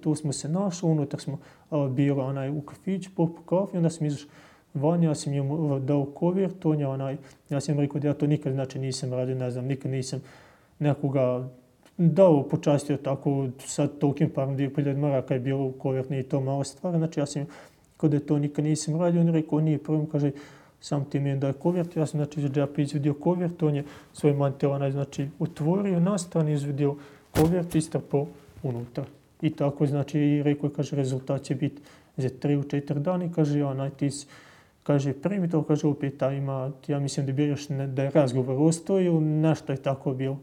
tu smo se našli, unutar smo bili u kafić, popili kafu, onda sam izašao van, ja sam njemu dao kovert, ja sam rekao da ja to nikad znači nisam radio, ne znam, nikad nisam nekoga dao, počastio tako, sad tolikim parom 2.000 maraka je bilo u kovert, nije to mala stvar, znači ja sam kao da to nikad nisam radio, on je rekao nije problem, kaže sam ti meni daje kovert, ja sam znači iz džepa izvedio kovert, on je svoj mantel znači otvorio, nastavno izvedio kovert, istrpao unutra. I tako znači i rekao, kaže rezultat će biti za 3-4 dana i kaže ti kaže primi to, kaže opet ima, ja mislim da bi još da je razgovor ostao ili nešto je tako bilo.